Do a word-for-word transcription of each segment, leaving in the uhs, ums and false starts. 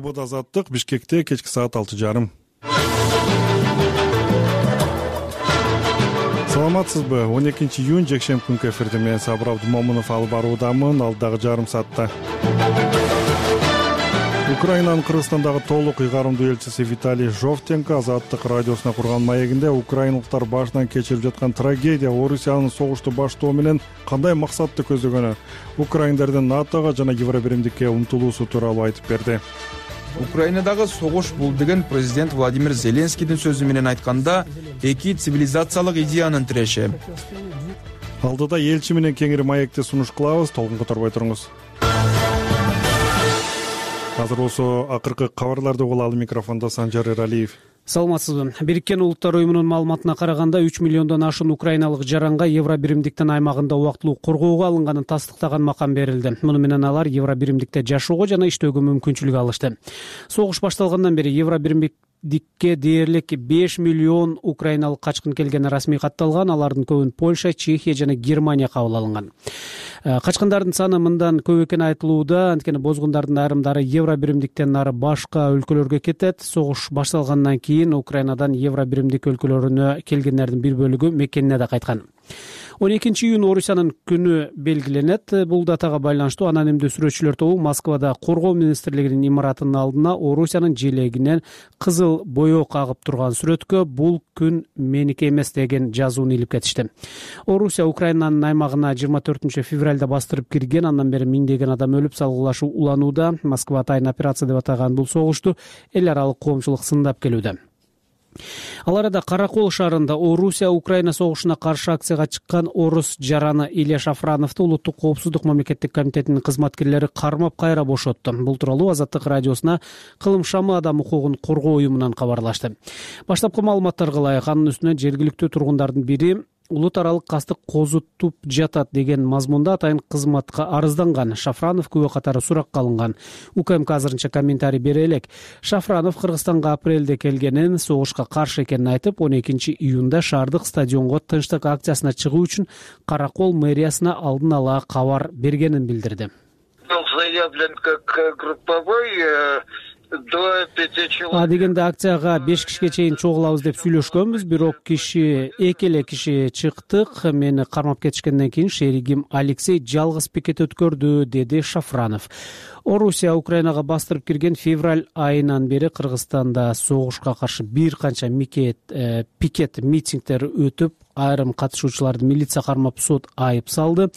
Бут Азаттык, Бишкекте кечки саат алты жарым. Саламатсызбы? он экинчи июнь жекшемби күнкү эфирде мен Сабыр Абдумомунов алып баруудамын. Алдагы жарым саатта Украинанын Кыргызстандагы толук ыйгарымдуу элчиси Виталий Жовтенко Азаттык радиосуна курган маегинде украиналыктар башынан кечирип жаткан трагедия Орусиянын согушту баштоо менен кандай максатты көздөгөнү, украиндердин НАТОго жана Евробиримдикке умтулуусу тууралуу айтып берди. Украинадагы согуш бул деген президент Владимир Зеленскийдин сөзү менен айтканда эки цивилизациялык идеянын тиреши. Алдыда элчи менен кеңири маекти сунуш кылабыз, толкун которбой туруңуз. Азыр болсо акыркы кабарларды угуп алды. Микрофондо Санжар Эралиев. Саламатсызбы? Бириккен Улуттар уюмунун маалыматына караганда үч миллиондон ашуун украиналык жаранга Евробиримдиктин аймагында убактылуу коргоого алынганын тастыктаган макам берилди. Муну менен алар Евробиримдикте жашоого жана иштөөгө мүмкүнчүлүк алышты. Согуш башталгандан бери Евробиримдикке дээрлик беш миллион украиналык качкын келгени расмий катталган. Алардын көбүн Польша, Чехия жана Германия кабыл алынган. Качкындардын саны мындан көп экени айтылууда, анткени бозгундардын айрымдары Евробиримдиктен нары башка өлкөлөргө кетет. Согуш башталгандан кийин Украинадан Евробиримдик өлкөлөрүнө келгендердин бир бөлүгү мекенине да кайткан. он экинчи июнь Орусиянын күнү белгиленет. Бул датага байланыштуу анонимдүү сүрөтчүлөр тобу Москвада Коргоо министрлигинин имаратынын алдына Орусиянын желегинен кызыл боек агып турган сүрөткө "Бул күн меники эмес" деген жазууну илип кетишти. Орусия Украинанын аймагына жыйырма төртүнчү февралда бастырып кирген. Андан бери миңдеген адам өлүп, салгылашуу уланууда. Москва атайын операция деп атаган бул согушту эл аралык коомчулук сындап келүүдө. Ал арада Каракол шаарында Орусия Украина согушуна каршы акцияга чыккан орус жараны Илья Шафрановду Улуттук коопсуздук мамлекеттик комитетинин кызматкерлери кармап кайра бошотту. Бул тууралуу Азаттык радиосуна Кылым шамы адам укугун коргоо уюмунан кабарлашты. Баштапкы маалыматтарга ылайык, анын үстүнө жергиликтүү тургундардын бири улут аралык кастык козутуп жатат деген мазмунда атайын кызматка арызданган. Шафранов күбө катары суракка алынган. УКМК азырынча комментарий бере элек. Шафранов Кыргызстанга апрелде келгенин, согушка каршы экенин айтып, он экинчи июнда шаардык стадионго тынчтык акциясына чыгуу үчүн Каракол мэриясына алдын ала кабар бергенин билдирди. Заявлен как групповой до пяти человек. А дегенде акцияга беш кишиге чейин чогулабыз деп сүйлөшкөнбүз, бирок киши эки эле киши чыктык. Мени кармап кетишкенден кийин шеригим Алексей жалгыз пикет өткөрдү, деди Шафранов. Орусия Украинага бастырып кирген февраль айынан бери Кыргызстанда согушка каршы бир канча микет, э, пикет митингдер өтүп, айрым катышуучуларды милиция кармап сот айып салды.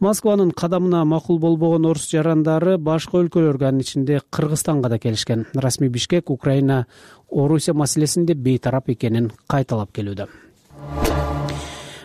Москванын кадамына макул болбогон орус жарандары башка өлкөлөргө, анын ичинде Кыргызстанга да келишкен. Расмий Бишкек Украина Орусия маселесинде бейтарап экенин кайталап келүүдө.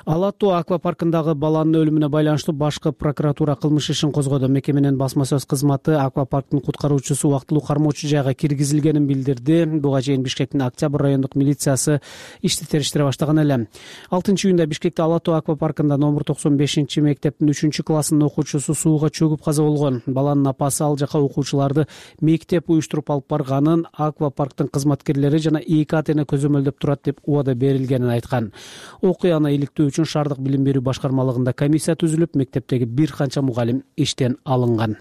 Алатуу аквапаркындагы баланын өлүмүнө байланыштуу башкы прокуратура кылмыш ишин козгоду. Мекеменин басма сөз кызматы аквапарктын куткаруучусу убактылуу кармоочу жайга киргизилгенин билдирди. Буга чейин Бишкектин Октябрь райондук милициясы ишти териштире баштаган эле. алтынчы июнда Бишкекте Алатуу аквапаркында номер токсон бешинчи мектептин үчүнчү классынын окуучусу сууга чөгүп каза болгон. Баланын апасы ал жака окуучуларды мектеп уюштуруп алып барганын, аквапарктын кызматкерлери жана эки ата эне көзөмөлдөп турат деп убада берилгенин айткан. Окуяны иликтөө үчүн шаардык билим берүү башкармалыгында комиссия түзүлүп, мектептеги бир канча мугалим иштен алынган.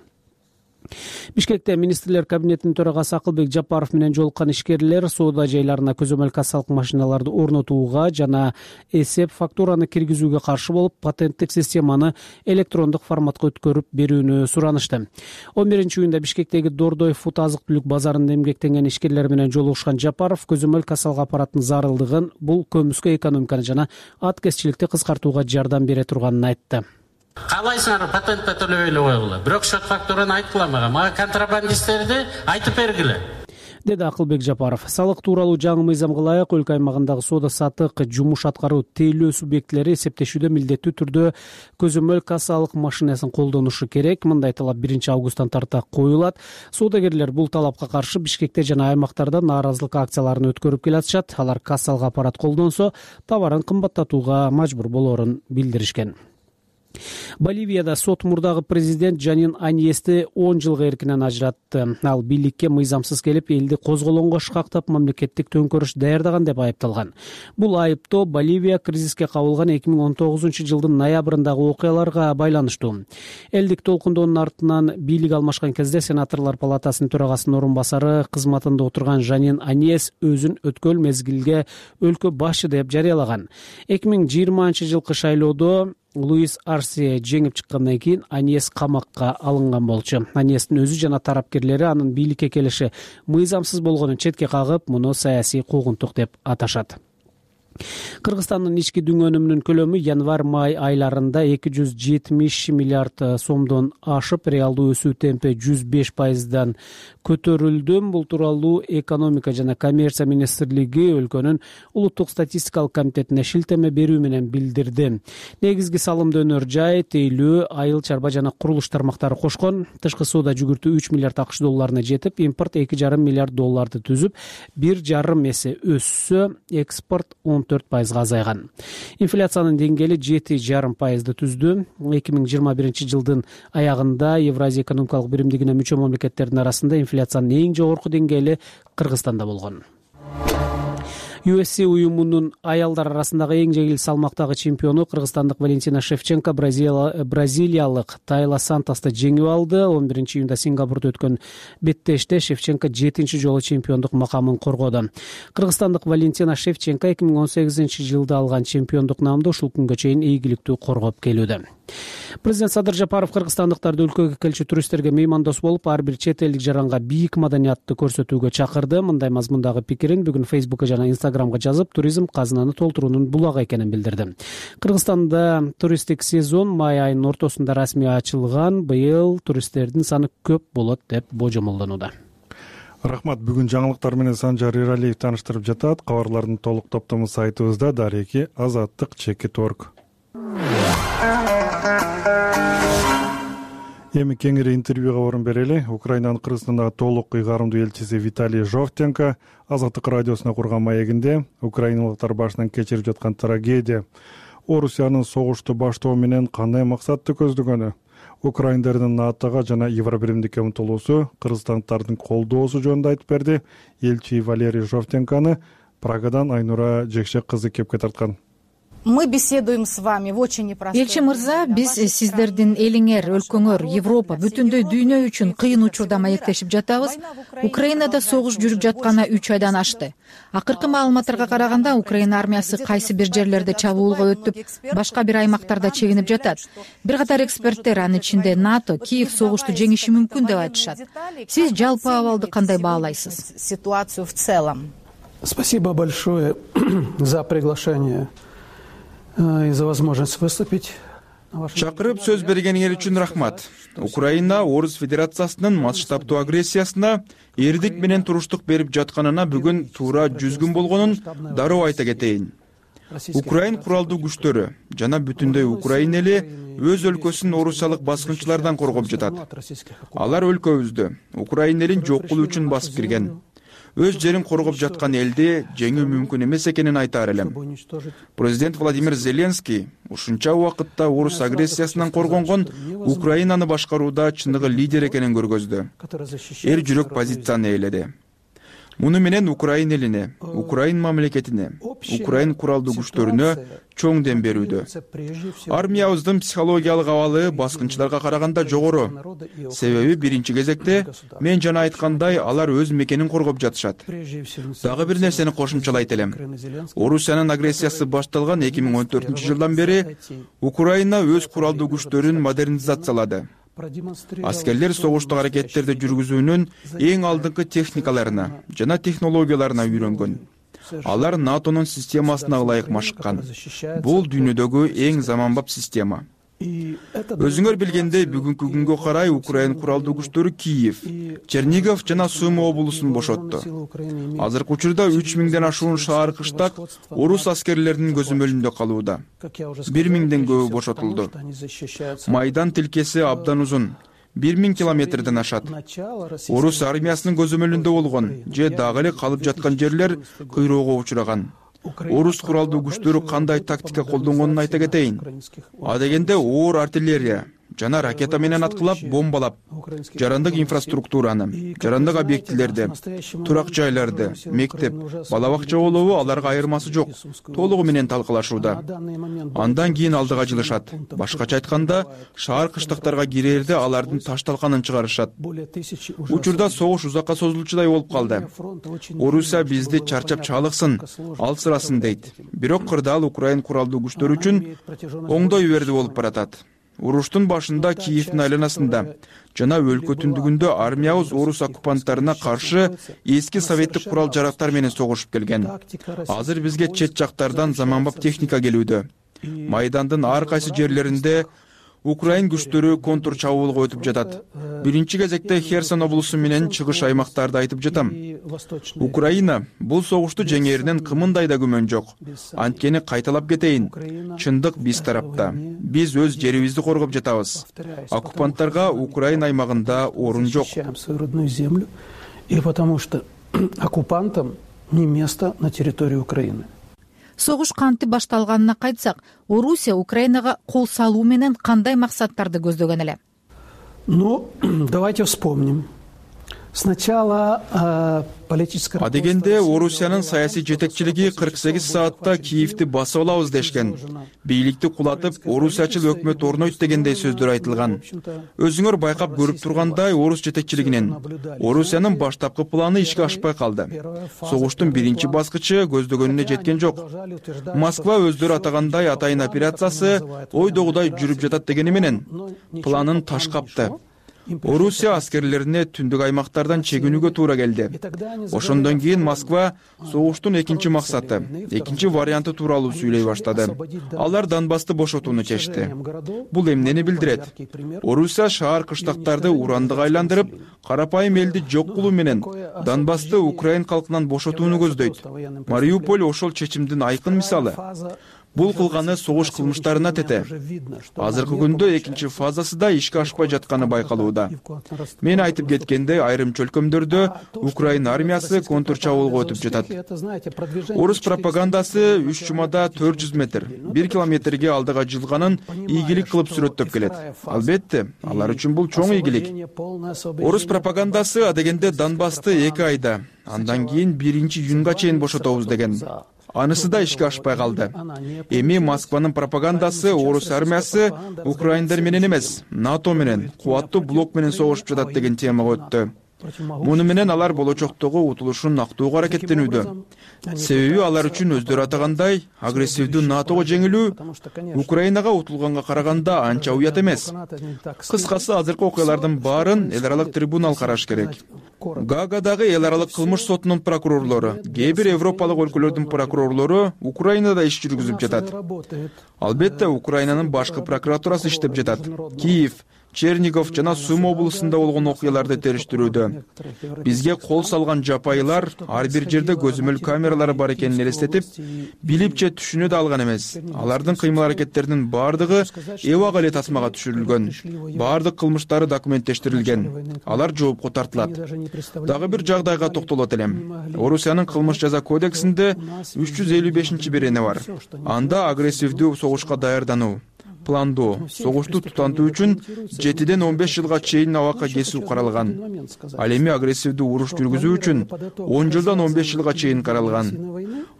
Бишкекте министрлер кабинетинин төрагасы Акылбек Жапаров менен жолуккан ишкерлер соода жайларына көзөмөл кассалык машиналарды орнотууга жана эсеп фактураны киргизүүгө каршы болуп, патенттик системаны электрондук форматка өткөрүп берүүнү суранышты. он биринчи июнда Бишкектеги Дордой фут азык-түлүк базарында эмгектенген ишкерлер менен жолугушкан Жапаров көзөмөл кассалык аппараттын зарылдыгын, бул көмүскө экономиканы жана аткезчиликти кыскартууга жардам бере турганын айтты. Калайсыңар патентте төлөбөйлү койгула. Бирок счет фактураны айткыла мага. Мага контрабандисттерди айтып бергиле, деди Акылбек Жапаров. Салык тууралуу жаңы мыйзамга ылайык өлкө аймагындагы соода саттык, жумуш аткаруу, тейлөө субъектилери эсептешүүдө милдеттүү түрдө көзөмөл кассалык машинасын колдонушу керек. Мындай талап биринчи августтан тарта коюлат. Соодагерлер бул талапка каршы Бишкекте жана аймактарда нааразылык акцияларын өткөрүп келатышат. Алар кассалык аппарат колдонсо, товарын кымбаттатууга мажбур болорун билдиришкен. Боливияда сот мурдагы президент Жанин Аньести он жылга эркинен ажыратты. Ал бийликке мыйзамсыз келип, элди козголоңго шкактап, мамлекеттик төңкөрүш даярдаган деп айыпталган. Бул айыптоо Боливия кризиске кабылган эки миң он тогузунчу жылдын ноябрындагы окуяларга байланыштуу. Элдик толкундоонун артынан бийлик алмашкан кезде сенаторлор палатасынын төрагасынын орун басары кызматында отурган Жанин Аньес өзүн өткөл мезгилге өлкө башчы деп жарыялаган. эки миң жыйырманчы жылкы шайлоодо Луис Арсия жеңип чыккандан кийин Аньес камакка алынган болчу. Аньестин өзү жана тарапкерлери анын бийликке келиши мыйзамсыз болгонун четке кагып, муну саясий куугунтук деп аташат. Кыргызстандын ички дүң өнүмүнүн көлөмү январь-май айларында эки жүз жетимиш миллиард сомдон ашып, реалдуу өсүү темпи жүз беш пайыздан көтөрүлдү. Бул тууралуу экономика жана коммерция министрлиги өлкөнүн улуттук статистикалык комитетине шилтеме берүү менен билдирди. Негизги салымды өнөр жай, тейлөө, айыл чарба жана курулуш тармактары кошкон. Тышкы соода жүгүртүү үч миллиард акш долларына жетип, импорт эки жарым миллиард долларды түзүп, бир жарым эсе өссө, экспорт он төрт пайызга азайган. Инфляциянын деңгээли жети жарым пайызды түздү. эки миң жыйырма биринчи жылдын аягында Евразия экономикалык биримдигине мүчө мамлекеттердин арасында инфляциянын эң жогорку деңгээли Кыргызстанда болгон. ю эф си уюмунун аялдар арасындагы эң жеңил салмактагы чемпиону кыргызстандык Валентина Шевченко бразилиялык Тайла Сантосты жеңип алды. он биринчи июнда Сингапурда өткөн беттеште Шевченко жетинчи жолу чемпиондук макамын коргоду. Кыргызстандык Валентина Шевченко эки миң он сегизинчи жылда алган чемпиондук наамды ушул күнгө чейин ийгиликтүү коргоп келүүдө. Президент Садыр Жапаров кыргызстандыктарды өлкөгө келчү туристтерге меймандос болуп, ар бир чет элдик жаранга бийик маданиятты көрсөтүүгө чакырды. Мындай мазмундагы пикирин бүгүн Фейсбукка жана Инстаграмга жазып, туризм казынаны толтуруунун булагы экенин билдирди. Кыргызстанда туристтик сезон май айынын ортосунда расмий ачылган. Быйыл туристтердин саны көп болот деп божомолдонууда. Рахмат. Бүгүн жаңылыктар менен Санжар Иралиев тааныштырып жатат. Кабарлардын толук топтому сайтыбызда дареки азаттык чекит точка орг. Эми кеңири интервьюга орун берели. Украинанын Кыргызстандагы толук ыйгарымдуу элчиси Виталий Жовтенко Азаттык радиосуна курган маегинде украиналыктар башынан кечирип жаткан трагедия, Орусиянын согушту баштоо менен кандай максатты көздөгөнү, украиндардын НАТОго жана Евробиримдикке умтулуусу, кыргызстандыктардын колдоосу жөнүндө айтып берди. Элчи Валерий Жовтенкону Прагадан Айнура Жекшек кызы кепке тарткан. Мы беседуем с вами в очень непростой. Элчи мырза, биз сиздердин элиңер, өлкөңөр, Европа, бүтүндөй дүйнө үчүн кыйын учурда маектешип жатабыз. Украинада согуш жүрүп жатканы үч айдан ашты. Акыркы маалыматтарга караганда, Украина армиясы кайсы бир жерлерде чабуулга өтүп, башка бир аймактарда чегинип жатат. Бир катар эксперттер, анын ичинде НАТО, Киев согушту жеңиши мүмкүн деп айтышат. Сиз жалпы абалды кандай баалайсыз? Ситуацию в целом. Спасибо большое за приглашение и за возможность выступить. Чакырып сөз бергениңер үчүн рахмат. Украина Орус Федерациясынын масштабдуу агрессиясына эрдик менен туруштук берип жатканына бүгүн туура жүз күн болгонун дароо айта кетейин. Украин куралдуу күчтөрү жана бүтүндөй Украина эли өз өлкөсүн орусиялык баскынчылардан коргоп жатат. Алар өлкөбүздү Украина элин жок кылуу үчүн басып кирген. Өз жерин коргоп жаткан элди жеңүү мүмкүн эмес экенин айтаар элем. Президент Владимир Зеленский ушунча убакытта орус агрессиясынан коргонгон Украинаны башкарууда чыныгы лидер экенин көргөздү. Эр жүрөк позицияны ээледи. Муну менен Украин элине, Украин мамлекетине, Украин куралдуу күчтөрүнө чоң дем берүүдө. Армиябыздын психологиялык абалы баскынчыларга караганда жогору. Себеби биринчи кезекте мен жана айткандай алар өз мекенин коргоп жатышат. Дагы бир нерсени кошумчалайт элем. Орусиянын агрессиясы башталган эки миң он төртүнчү жылдан бери Украина өз куралдуу күчтөрүн модернизациялады. Аскерлер согуштук аракеттерди жүргүзүүнүн эң алдыңкы техникаларына жана технологияларына үйрөнгөн. Алар НАТОнун системасына ылайык машыккан. Бул дүйнөдөгү эң заманбап система. Өзүңөр билгендей, бүгүнкү күнгө карай Украин куралдуу күчтөрү Киев, Чернигов жана Сумы облусун бошотту. Азыркы учурда үч миңден ашуун шаар кыштак орус аскерлеринин көзөмөлүндө калууда. бир миңден көбү бошотулду. Майдан тилкеси абдан узун. бир миң километрден ашат. Орус армиясынын көзөмөлүндө болгон же дагы эле калып жаткан жерлер кыйроого учураган. орус куралдуу күчтөрү кандай тактика колдонгонун айта кетейин. Адегенде оор артиллерия жана ракета менен аткылап, бомбалап, жарандык инфраструктураны, жарандык объектилерди, турак жайларды, мектеп, бала бакча болобу аларга айырмасы жок, толугу менен талкалашууда. Андан кийин алдыга жылышат. Башкача айтканда, шаар кыштыктарга кирээрде алардын таш талканын чыгарышат. Учурда согуш узакка созулчудай болуп калды. Орусия бизди чарчап чалыксын, алсырасын дейт. Бирок кырдаал Украин куралдуу күчтөрү үчүн оңдой берди болуп баратат. Уруштун башында Киевдин айланасында жана өлкө түндүгүндө армиябыз орус оккупанттарына каршы эски советтик курал жарактар менен согушуп келген. Азыр бизге чет жактардан заманбап техника келүүдө. Майдандын ар кайсы жерлеринде Украин күчтөрү контур чабуулга өтүп жатат. Биринчи кезекте Херсон облусу менен чыгыш аймактарды айтып жатам. Украина бул согушту жеңээринен кымындай да күмөн жок. Анткени кайталап кетейин, чындык биз тарапта. Биз өз жерибизди коргоп жатабыз. Оккупанттарга Украина аймагында орун жок. И потому что оккупантам не место на территории Украины. Согуш кантип башталганына кайтсак, Орусия Украинага кол салуу менен кандай максаттарды көздөгөн эле? Ну, давайте вспомним. Сначала э, политическое... Адегенде Орусиянын саясий жетекчилиги кырк сегиз саатта Киевди басып алабыз дешкен. Бийликти кулатып, орусиячыл өкмөт орнойт дегендей сөздөр айтылган. Өзүңөр байкап көрүп тургандай, орус жетекчилигинин Орусиянын баштапкы планы ишке ашпай калды. Согуштун биринчи баскычы көздөгөнүнө жеткен жок. Москва өздөрү атагандай атайын операциясы ойдогудай жүрүп жатат дегени менен планын таш капты. Орусия аскерлерине түндүк аймактардан чегинүүгө туура келди. Ошондон кийин Москва согуштун экинчи максаты, экинчи варианты тууралуу сүйлөй баштады. Алар Донбассты бошотууну чечти. Бул эмнени билдирет? Орусия шаар кыштактарды урандык айландырып, карапайым элди жок кылуу менен Донбассты Украин калкынан бошотууну көздөйт. Мариуполь ошол чечимдин айкын мисалы. Бул кылганы согуш кылмыштарына тете. Азыркы күндө экинчи фазасы да ишке ашпай жатканы байкалууда. Мен айтып кеткендей, айрым чөлкөмдөрдө Украин армиясы контур чабуулга өтүп жатат. Орус пропагандасы үч жумада төрт жүз метр, бир километрге алдыга жылганын ийгилик кылып сүрөттөп келет. Албетте, алар үчүн бул чоң ийгилик. Орус пропагандасы адегенде Донбассты эки айда, андан кийин биринчи июнга чейин бошотобуз деген. Анысы да ишке ашпай калды. Эми Москванын пропагандасы орус армиясы Украиндар менен эмес, НАТО менен, кубаттуу блок менен согушуп жатат деген темага өттү. Муну менен алар болочоктогу утулушун актоого аракеттенүүдө. Себеби алар үчүн өздөрү атагандай агрессивдүү НАТОго жеңилүү Украинага утулганга караганда анча уят эмес. Кыскасы, азыркы окуялардын баарын эл аралык трибунал караш керек. Гаагадагы эл аралык кылмыш сотунун прокурорлору, кээ бир европалык өлкөлөрдүн прокурорлору Украинада иш жүргүзүп жатат. Албетте, Украинанын башкы прокуратурасы иштеп жатат. Киев, Чернигов жана Сум облусунда болгон окуяларды териштирүүдө. Бизге кол салган жапайылар ар бир жерде көзөмөл камералары бар экенин элестетип, билип же түшүнө да алган эмес. Алардын кыймыл аракеттеринин бардыгы эбак эле тасмага түшүрүлгөн. Бардык кылмыштары документтештирилген. Алар жоопко тартылат. Дагы бир жагдайга токтолот элем. Орусиянын кылмыш жаза кодексинде үч жүз элүү бешинчи берене бар. Анда агрессивдүү согушка даярдануу, пландоо, согушту тутантуу үчүн жетиден он беш жылга чейин абакка кесүү каралган. Ал эми агрессивдүү уруш жүргүзүү үчүн он жылдан он беш жылга чейин каралган.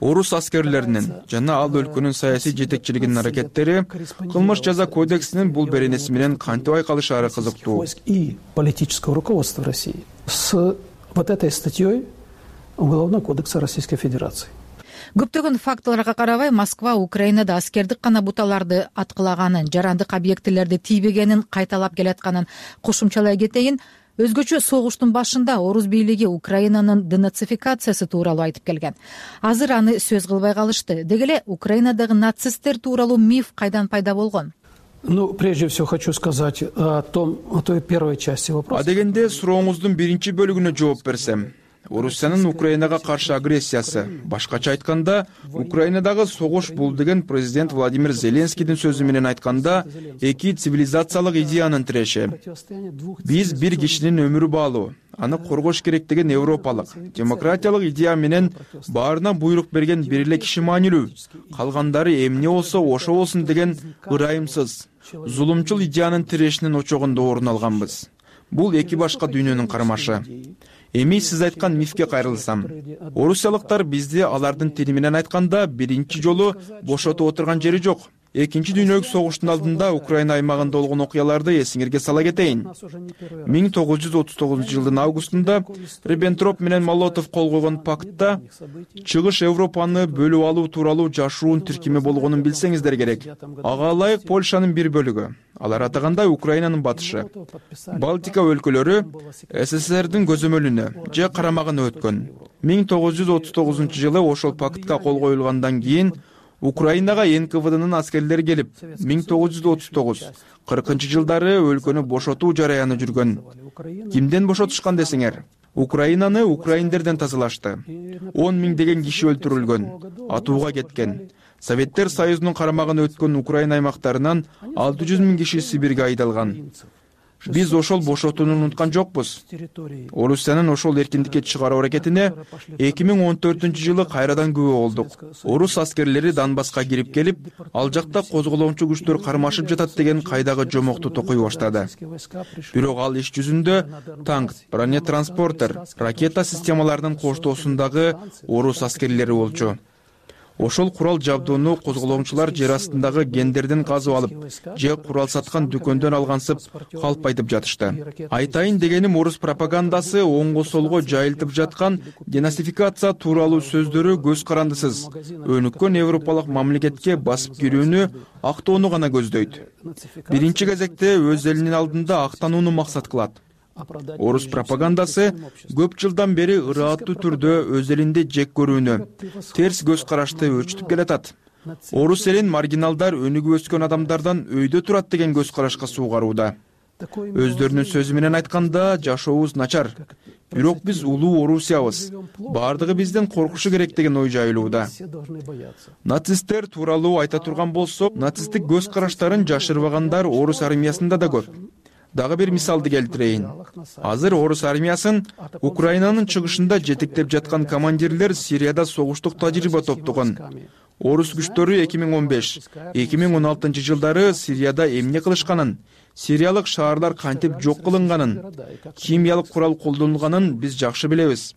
Орус аскерлеринин жана ал өлкөнүн саясий жетекчилигинин аракеттери кылмыш жаза кодексинин бул беренеси менен кантип айкалышаары кызыктуу. И политическое руководство России с вот этой статьей Уголовного кодекса Российской Федерации. Көптөгөн фактыларга карабай, Москва Украинада аскердик гана буталарды аткылаганын, жарандык объектилерди тийбегенин кайталап келатканын кошумчалай кетейин. Өзгөчө согуштун башында орус бийлиги Украинанын денацификациясы тууралуу айтып келген. Азыр аны сөз кылбай калышты. Деги эле Украинадагы нацисттер тууралуу миф кайдан пайда болгон? Ну, прежде всего хочу сказать о том, о той первой части вопроса. Адегенде сурооңуздун биринчи бөлүгүнө жооп берсем, Орусиянын Украинага каршы агрессиясы, башкача айтканда, Украинадагы согуш бул деген президент Владимир Зеленскийдин сөзү менен айтканда, эки цивилизациялык идеянын тиреши. Биз бир кишинин өмүрү баалуу, аны коргош керек деген европалык демократиялык идея менен баарына буйрук берген бир эле киши маанилүү, калгандары эмне болсо ошо болсун деген ырайымсыз, зулумчул идеянын тирешинин очогунда орун алганбыз. Бул эки башка дүйнөнүн кармашы. Эми сиз айткан мифке кайрылсам, орусиялыктар бизди алардын тили менен айтканда биринчи жолу бошотуп отурган жери жок. Экинчи дүйнөлүк согуштун алдында Украина аймагында болгон окуяларды эсиңерге сала кетейин. миң тогуз жүз отуз тогузунчу жылдын августунда Риббентроп менен Молотов кол койгон пакытта Чыгыш Европаны бөлүп алуу тууралуу жашыруун тиркими болгонун билсеңиздер керек. Ага ылайык Польшанын бир бөлүгү, алар атагандай Украинанын батышы, Балтика өлкөлөрү СССРдин көзөмөлүнө же карамагына өткөн. миң тогуз жүз отуз тогузунчу жылы ошол пакытка кол коюлгандан кийин Украинага эн ка вэ дынын аскерлери келип, миң тогуз жүз отуз тогуз кыркынчы жылдары өлкөнү бошотуу жараяны жүргөн. Кимден бошотушкан десеңер? Украинаны украиндерден тазалашты. он миңдеген киши өлтүрүлгөн, атууга кеткен. Советтер Союзунун карамагына өткөн Украина аймактарынан алты жүз миң киши Сибирге айдалган. Биз ошол бошотууну унуткан жокпуз. Орусиянын ошол эркиндикке чыгаруу аракетине эки миң он төртүнчү жылы кайрадан күбө болдук. Орус аскерлери Донбасска кирип келип, ал жакта козголоочу күчтөр кармашып жатат деген кайдагы жомокту токуй баштады. Бирок ал иш жүзүндө танк, бронетранспортер, ракета системаларынын коштоосундагы орус аскерлери болчу. Ошол курал жабдууну козголоочулар жер астындагы гендерден казып алып, же курал саткан дүкөндөн алгансып калпайтып жатышты. Айтайын дегеним, орус пропагандасы оңго солго жайылтып жаткан денацификация тууралуу сөздөрү көз карандысыз. Өнүккөн европалык мамлекетке басып кирүүнү, актоону гана көздөйт. Биринчи кезекте өз элинин алдында актанууну максат кылат. Орус пропагандасы көп жылдан бери ырааттуу түрдө өз элинде жек көрүүнү, терс көз карашты өрчүтүп келатат. Орус элин маргиналдар өнүгүп өскөн адамдардан өйдө турат деген көз карашка суугарууда. Өздөрүнүн сөзү менен айтканда, жашообуз начар. Бирок биз улуу Орусиябыз. Бардыгы бизден коркушу керек деген ой жайылууда. Нацисттер тууралуу айта турган болсок, нацисттик көз караштарын жашырбагандар орус армиясында да көп. Дагы бир мисалды келтирейин. Азыр орус армиясын Украинанын чыгышында жетектеп жаткан командирлер Сирияда согуштук тажрыйба топтогон. Орус күчтөрү эки миң он беш — эки миң он алтынчы жылдары Сирияда эмне кылышканын, сириялык шаарлар кантип жок кылынганын, химиялык курал колдонулганын биз жакшы билебиз.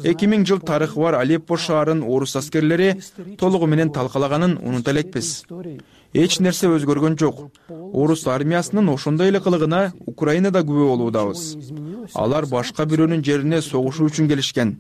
эки миң жыл тарыхы бар Алеппо шаарын орус аскерлери толугу менен талкалаганын унута элекпиз. Эч нерсе өзгөргөн жок. Орус армиясынын ошондой эле кылыгына Украинада күбө болуудабыз. Алар башка бирөөнүн жерине согушуу үчүн келишкен.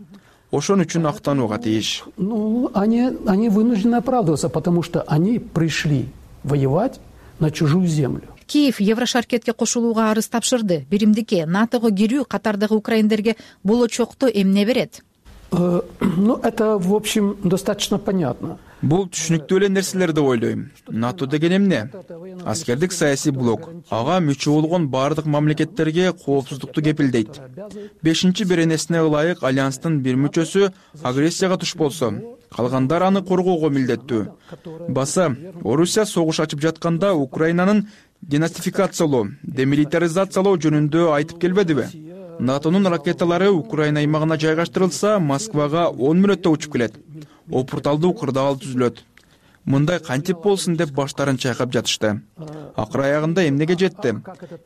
Ошон үчүн актанууга тийиш. Ну, они, они вынуждены оправдываться, потому что они пришли воевать на чужую землю. Киев Еврошаркетке кошулууга арыз тапшырды. Биримдикке НАТОго кирүү катардагы украиндерге болочокто эмне берет? Ну, это, в общем, достаточно понятно. Бул түшүнүктүү эле нерселер деп ойлойм. НАТО деген эмне? Аскердик саясий блок. Ага мүчө болгон бардык мамлекеттерге коопсуздукту кепилдейт. Бешинчи беренесине ылайык альянстын бир мүчөсү агрессияга туш болсо, калгандар аны коргоого милдеттүү. Баса, Орусия согуш ачып жатканда Украинанын денацификациялоо, демилитаризациялоо жөнүндө айтып келбедиби? НАТОнун ракеталары Украина аймагына жайгаштырылса, Москвага он мүнөттө учуп келет. Опурталдуу кырдаал түзүлөт. Мындай кантип болсун деп баштарын чайкап жатышты. Акыр аягында эмнеге жетти?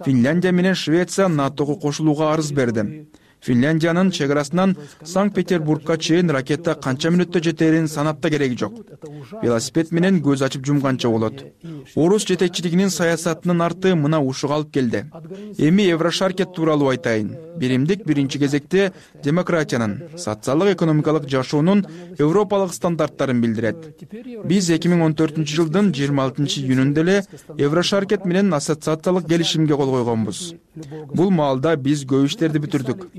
Финляндия менен Швеция НАТОго кошулууга арыз берди. Финляндиянын чек арасынан Санкт-Петербургка чейин ракета канча мүнөттө жетерин санап да кереги жок. Велосипед менен көз ачып жумганча болот. Орус жетекчилигинин саясатынын арты мына ушуга алып келди. Эми Еврошаркет тууралуу айтайын. Биримдик биринчи кезекте демократиянын, социалдык-экономикалык жашоонун европалык стандарттарын билдирет. Биз эки миң он төртүнчү жылдын жыйырма алтынчы июнунда эле Еврошаркет менен ассоциациялык келишимге кол койгонбуз. Бул маалда биз көп иштерди бүтүрдүк.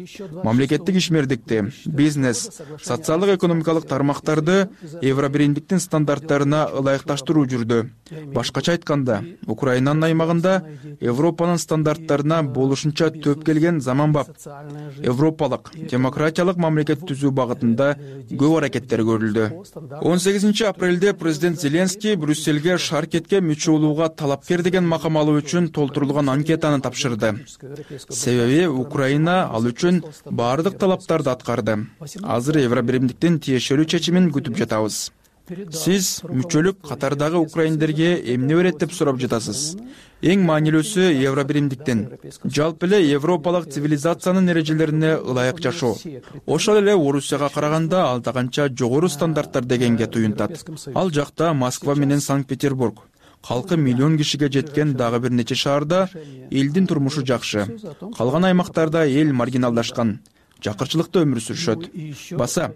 Мамлекеттик ишмердикти, бизнес, социалдык-экономикалык тармактарды Евробиримдиктин стандарттарына ылайыкташтыруу жүрдү. Башкача айтканда, Украинанын аймагында Европанын стандарттарына болушунча төп келген заманбап европалык, демократиялык мамлекет түзүү багытында көп аракеттер көрүлдү. он сегизинчи апрелде президент Зеленский Брюссельге Шаркетке мүчө болууга талапкер деген макам алуу үчүн толтурулган анкетаны тапшырды. Себеби Украина ал үчүн баардык талаптарды аткарды. Азыр Евробиримдиктин тиешелүү чечимин күтүп жатабыз. Сиз мүчөлүк катардагы украиндерге эмне берет деп сурап жатасыз. Эң маанилүүсү Евробиримдиктен жалпы эле европалык цивилизациянын эрежелерине ылайык жашоо. Ошол эле Орусияга караганда алда канча жогору стандарттар дегенге туюнтат. Ал жакта Москва менен Санкт-Петербург, калкы миллион кишиге жеткен дагы бир нече шаарда элдин турмушу жакшы. Калган аймактарда эл маргиналдашкан, жакырчылыкта өмүр сүрүшөт. Баса,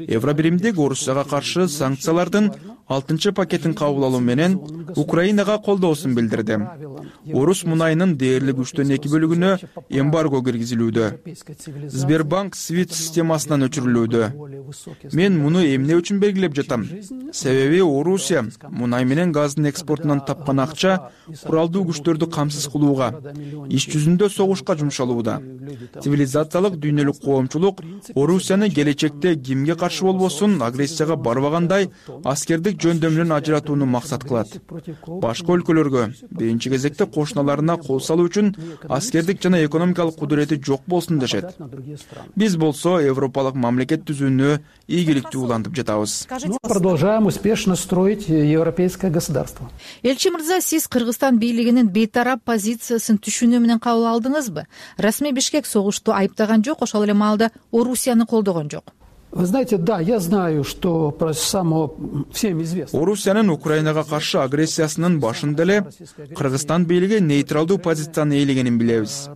Евробиримдик Орусияга каршы санкциялардын алтынчы пакетин кабыл алуу менен Украинага колдоосун билдирди. Орус мунайынын дээрлик үчтөн эки бөлүгүнө эмбарго киргизилүүдө. Сбербанк свит системасынан өчүрүлүүдө. Мен муну эмне үчүн белгилеп жатам? Себеби Орусия мунай менен газдын экспортунан тапкан акча куралдуу күчтөрдү камсыз кылууга, иш жүзүндө согушка жумшалууда. Цивилизациялык дүйнөлүк коомчулук Орусияны келечекте кимге каршы болбосун агрессияга барбагандай аскердик жөндөмүнөн ажыратууну максат кылат. Башка өлкөлөргө, биринчи кезекте кошуналарына кол салуу үчүн аскердик жана экономикалык кудурети жок болсун дешет. Биз болсо европалык мамлекет түзүүнү ийгиликтүү улантып жатабыз. Продолжаем успешно строить европейское государство. Элчи мырза, сиз Кыргызстан бийлигинин бейтарап позициясын түшүнүү менен кабыл алдыңызбы? Расмий Бишкек согушту айыптаган жок, ошол эле маалда Орусияны колдогон жок. Вы знаете, да, я знаю, что про само всем известно. Орусиянын Украинага каршы агрессиясынын башында эле Кыргызстан бийлиги нейтралдуу позицияны ээлегенин билебиз.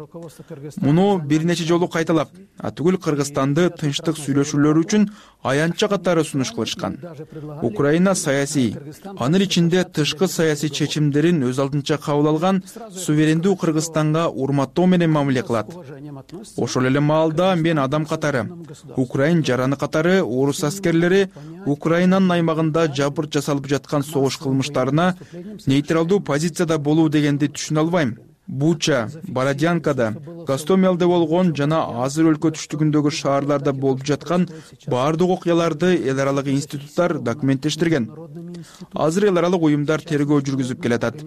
Муну бир нече жолу кайталап, атүгүл Кыргызстанды тынчтык сүйлөшүүлөр үчүн аянтча катары сунуш кылышкан. Украина саясий, анын ичинде тышкы саясий чечимдерин өз алдынча кабыл алган суверендүү Кыргызстанга урматтоо менен мамиле кылат. Ошол эле маалда мен адам катары, Украин жараны катары орус аскерлери Украинанын аймагында жабыр жасалып жаткан согуш кылмыштарына нейтралдуу позицияда болуу дегенди түшүнө албайм. Буча, Бородянкада, Гостомелде болгон жана азыр өлкө түштүгүндөгү шаарларда болуп жаткан баардык окуяларды эл аралык институттар документтештирген. Азыр эл аралык уюмдар тергөө жүргүзүп келатат.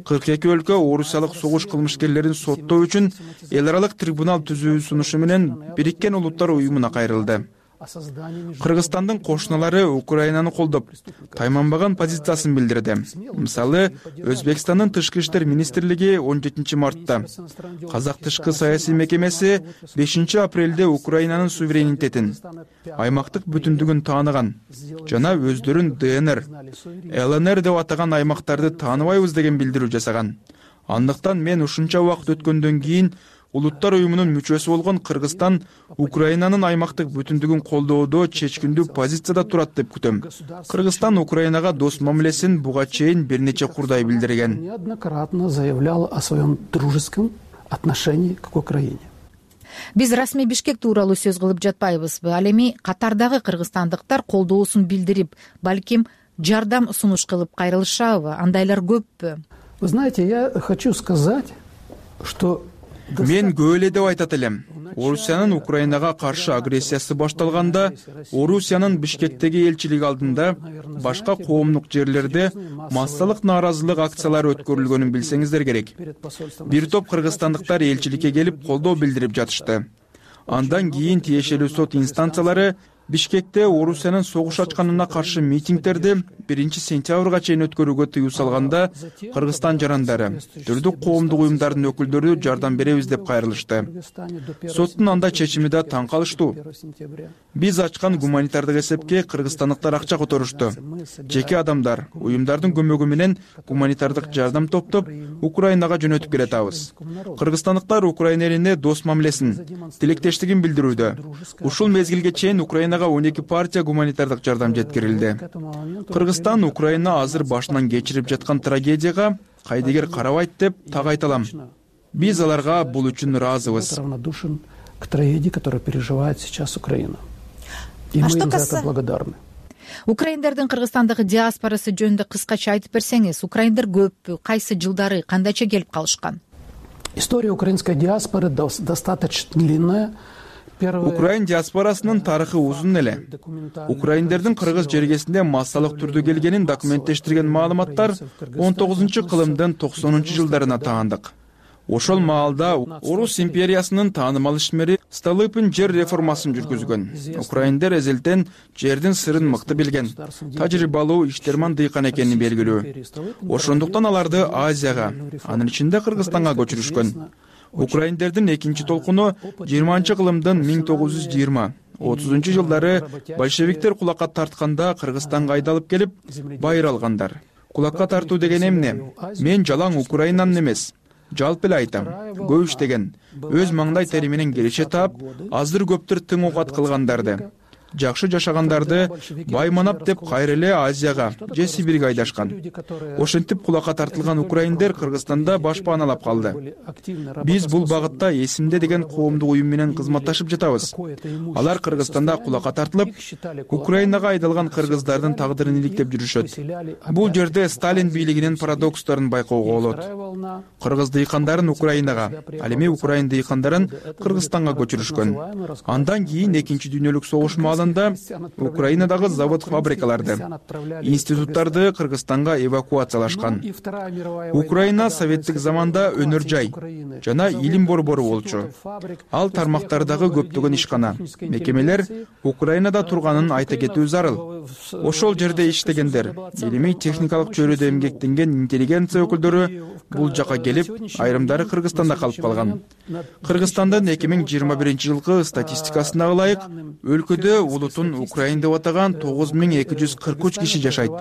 кырк эки өлкө орусиялык согуш кылмышкерлерин соттоо үчүн эл аралык трибунал түзүү сунушу менен Бириккен Улуттар уюмуна кайрылды. Кыргызстандын кошуналары Украинаны колдоп, тайманбаган позициясын билдирди. Мисалы, Өзбекстандын тышкы иштер министрлиги он жетинчи мартта, Казак тышкы саясий мекемеси бешинчи апрелде Украинанын суверенитетин, аймактык бүтүндүгүн тааныган жана өздөрүн ДНР, ЛНР деп атаган аймактарды тааныбайбыз деген билдирүү жасаган. Андыктан мен ушунча убакыт өткөндөн кийин Улуттар уюмунун мүчөсү болгон Кыргызстан Украинанын аймактык бүтүндүгүн колдоодо чечкиндүү позицияда турат деп күтөм. Кыргызстан Украинага дос мамилесин буга чейин бир нече курдай билдирген. Неоднократно заявлял о своем дружеском отношении к Украине. Биз расмий Бишкек тууралуу сөз кылып жатпайбызбы? Ал эми катардагы кыргызстандыктар колдоосун билдирип, балким жардам сунуш кылып кайрылышабы? Андайлар көппү? Вы знаете, я хочу сказать, что мен көп эле деп айтат элем. Орусиянын Украинага каршы агрессиясы башталганда, Орусиянын Бишкектеги элчилиги алдында башка коомдук жерлерде массалык нааразылык акциялары өткөрүлгөнүн билсеңиздер керек. Бир топ кыргызстандыктар элчиликке келип колдоо билдирип жатышты. Андан кийин тиешелүү сот инстанциялары Бишкекте Орусиянын согуш ачканына каршы митингдерди биринчи сентябрга чейин өткөрүүгө тыюу салганда, Кыргызстан жарандары, түрдүк коомдук уюмдардын өкүлдөрү жардам беребиз деп кайрылышты. Соттун андай чечими да таң калыштуу. Биз ачкан гуманитардык эсепке кыргызстандыктар акча которушту. Жеке адамдар, уюмдардын көмөгү менен гуманитардык жардам топтоп Украинага жөнөтүп келатабыз. Кыргызстандыктар Украина элине дос мамилесин, тилектештигин билдирүүдө. Ушул мезгилге чейин Украина он эки партия гуманитардык жардам жеткирилди. Кыргызстан Украина азыр башынан кечирип жаткан трагедияга кайдыгер карабайт деп так айталам. Биз аларга бул үчүн ыраазыбыз. Равнодушен к трагедии, которую переживает сейчас Украина. И мы им за это благодарны. Украиндардын Кыргызстандагы диаспорасы жөнүндө кыскача айтып берсеңиз, украиндар көппү, кайсы жылдары, кандайча келип калышкан? История украинской диаспоры достаточно длинная. Украин диаспорасынын тарыхы узун эле. Украиндердин кыргыз жергесинде массалык түрдө келгенин документтештирген маалыматтар он тогузунчу кылымдын токсонунчу жылдарына таандык. Ошол маалда Орус империясынын таанымал ишмери Столыпин жер реформасын жүргүзгөн. Украиндер эзелтен жердин сырын мыкты билген, тажрыйбалуу иштерман дыйкан экени белгилүү. Ошондуктан аларды Азияга, анын ичинде Кыргызстанга көчүрүшкөн. Украиндердин экинчи толкуну жыйырманчы кылымдын миң тогуз жүз жыйырма отузунчу жылдары большевиктер кулакка тартканда Кыргызстанга айдалып келип, байыр алгандар. Кулакка тартуу деген эмне? Мен жалаң Украинанын эмес, жалпы эле айтам, көп иштеген, өз маңдай тери менен келише таап, аздыр көптүр тың окат кылгандарды, жакшы жашагандарды байманап деп кайра эле Азияга же Сибирге айдашкан. Ошентип кулакка тартылган украиндер Кыргызстанда баш пааналап калды. Биз бул багытта Эсимде деген коомдук уюм менен кызматташып жатабыз. Алар Кыргызстанда кулакка тартылып, Украинага айдалган кыргыздардын тагдырын иликтеп жүрүшөт. Бул жерде Сталин бийлигинин парадокстарын байкоого болот. Кыргыз дыйкандарын Украинага, ал эми Украин дыйкандарын Кыргызстанга көчүрүшкөн. Андан кийин экинчи дүйнөлүк согуш Украинадагы завод-фабрикаларды, институттарды Кыргызстанга эвакуациялашкан. Украина советтик заманда өнөр жай жана илим борбору болчу. Ал тармактардагы көптөгөн ишкана, мекемелер Украинада турганын айта кетүү зарыл. Ошол жерде иштегендер, илимий техникалык чөйрөдө эмгектенген интеллигенция өкүлдөрү бул жака келип, айрымдары Кыргызстанда калып калган. Кыргызстандын эки миң жыйырма биринчи жылкы статистикасына ылайык, өлкөдө улутун Украин деп атаган тогуз миң эки жүз кырк үч киши жашайт.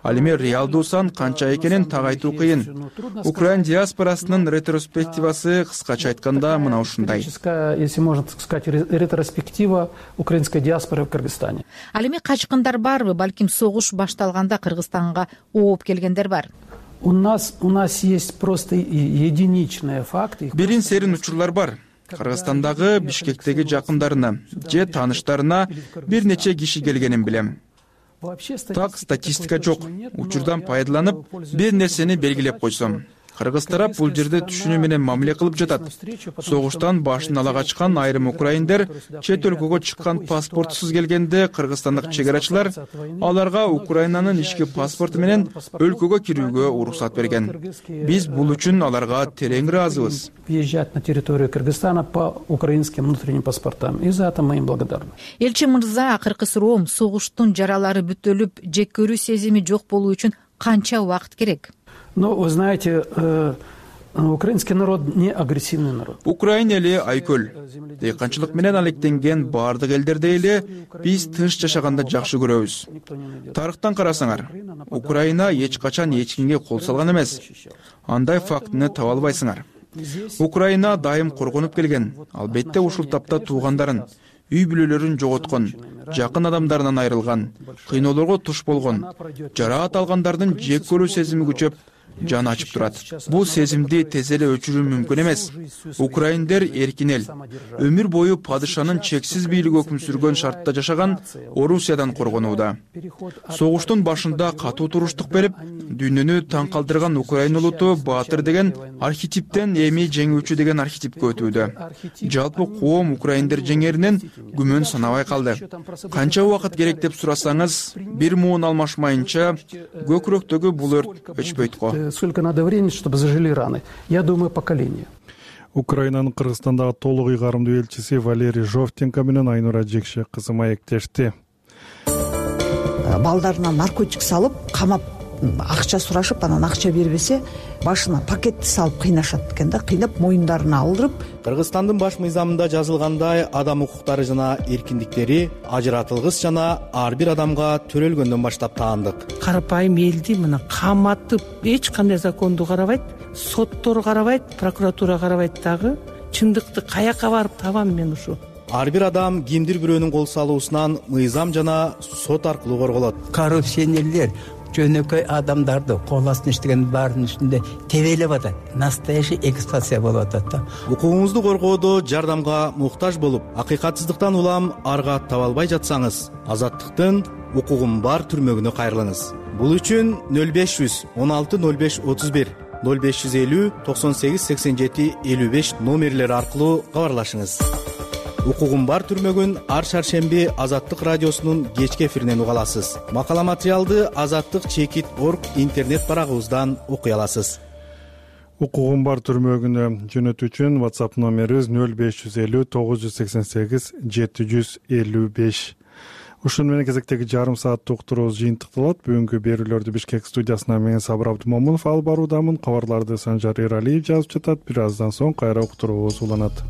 Ал эми реалдуу сан канча экенин так айтуу кыйын. Украин диаспорасынын ретроспективасы кыскача айтканда мына ушундай. Если можно сказать, ретроспектива украинской диаспоры в Кыргызстане. Ал эми качкындар барбы, балким согуш башталганда Кыргызстанга ооп келгендер бар? У нас у нас есть просто единичные факты. Бирин серин учурлар бар. Кыргызстандагы Бишкектеги жакындарына же тааныштарына бир нече киши келгенин билем. Так статистика жок. Учурдан пайдаланып, бир нерсени белгилеп койсом. Кыргыз тарап бул жерде түшүнүү менен мамиле кылып жатат. Согуштан башын ала качкан айрым украиндер чет өлкөгө чыккан паспортсуз келгенде кыргызстандык чегарачылар аларга Украинанын ички паспорту менен өлкөгө кирүүгө уруксат берген. Биз бул үчүн аларга терең ыраазыбыз. Въезжать на территорию Кыргызстана по украинским внутренним паспортам. И за это мы им благодарны. Элчи мырза, акыркы суроом, согуштун жаралары бүтөлүп, жек көрүү сезими жок болуу үчүн канча убакыт керек? Ну, вы знаете, э, украинский народ не агрессивный народ. Украин эли айкөл. Дыйканчылык менен алектенген бардык элдердей эле биз тынч жашаганда жакшы көрөбүз. Тарыхтан карасаңар, Украина эч качан эч кимге кол салган эмес. Андай фактыны таба албайсыңар. Украина дайым коргонуп келген. Албетте ушул тапта туугандарын, үй бүлөлөрүн жоготкон, жакын адамдарынан айрылган, кыйноолорго туш болгон, жараат алгандардын жек көрүү сезими күчөп, жан ачып турат. Бул сезимди тез эле өчүрүү мүмкүн эмес. Украиндер эркин эл, өмүр бою падышанын чексиз бийлиги өкүм сүргөн шартта жашаган Орусиядан коргонууда. Согуштун башында катуу туруштук берип, дүйнөнү таң калтырган Украин улуту баатыр деген архетиптен эми жеңүүчү деген архетипке өтүүдө. Жалпы коом украиндер жеңеринен күмөн санабай калды. Канча убакыт керек деп сурасаңыз, бир муун алмашмайынча көкүрөктөгү бул өрт өчпөйт го. Сколько надо времени, чтобы зажили раны? Я думаю, поколение. Украинанын Кыргызстандагы толук ыйгарымдуу элчиси Валерий Жовтенко менен Айнура Жекше кызы маектешти. Балдарына наркотик салып, камап, акча сурашып, анан акча бербесе, башына пакетти салып кыйнашат экен да, кыйнап моюндарына алдырып. Кыргызстандын баш мыйзамында жазылгандай адам укуктары жана эркиндиктери ажыратылгыс жана ар бир адамга төрөлгөндөн баштап таандык. Карапайым элди мына каматып, эч кандай законду карабайт, соттор карабайт, прокуратура карабайт дагы. Чындыкты каяка барып табам мен ушу? Ар бир адам кимдир бирөөнүн кол салуусунан мыйзам жана сот аркылуу корголот. Коррупционерлер жөнөкөй адамдарды кол астына иштеген баардын үстүндө тебелеп атат. Настоящий эксплуатация болуп атат да. Укугуңузду коргоодо жардамга муктаж болуп, акыйкатсыздыктан улам арга таба албай жатсаңыз, азаттыктын укугум бар түрмөгүнө кайрылыңыз. Бул үчүн нөл беш жүз он алты нөл беш отуз бир, нөл беш жүз элүү токсон сегиз сексен жети элүү беш номерлери аркылуу кабарлашыңыз. Укугум бар түрмөгүн ар шаршемби Азаттык радиосунун кечки эфиринен уга аласыз. Макала материалды азаттык чекит точка орг интернет барагыбыздан окуй аласыз. укугум бар түрмөгүнө жөнөтүү үчүн WhatsApp номерибиз нөл беш жүз элүү тогуз жүз сексен сегиз жети жүз элүү беш. Ушун менен кезектеги жарым сааттык уктуруубуз жыйынтыкталат. Бүгүнкү берүүлөрдү Бишкек студиясынан мен Сабыр Абдымомунов алып баруудамын. Кабарларды Санжар Эралиев жазып жатат. Бир аздан соң кайра уктуруубуз уланат.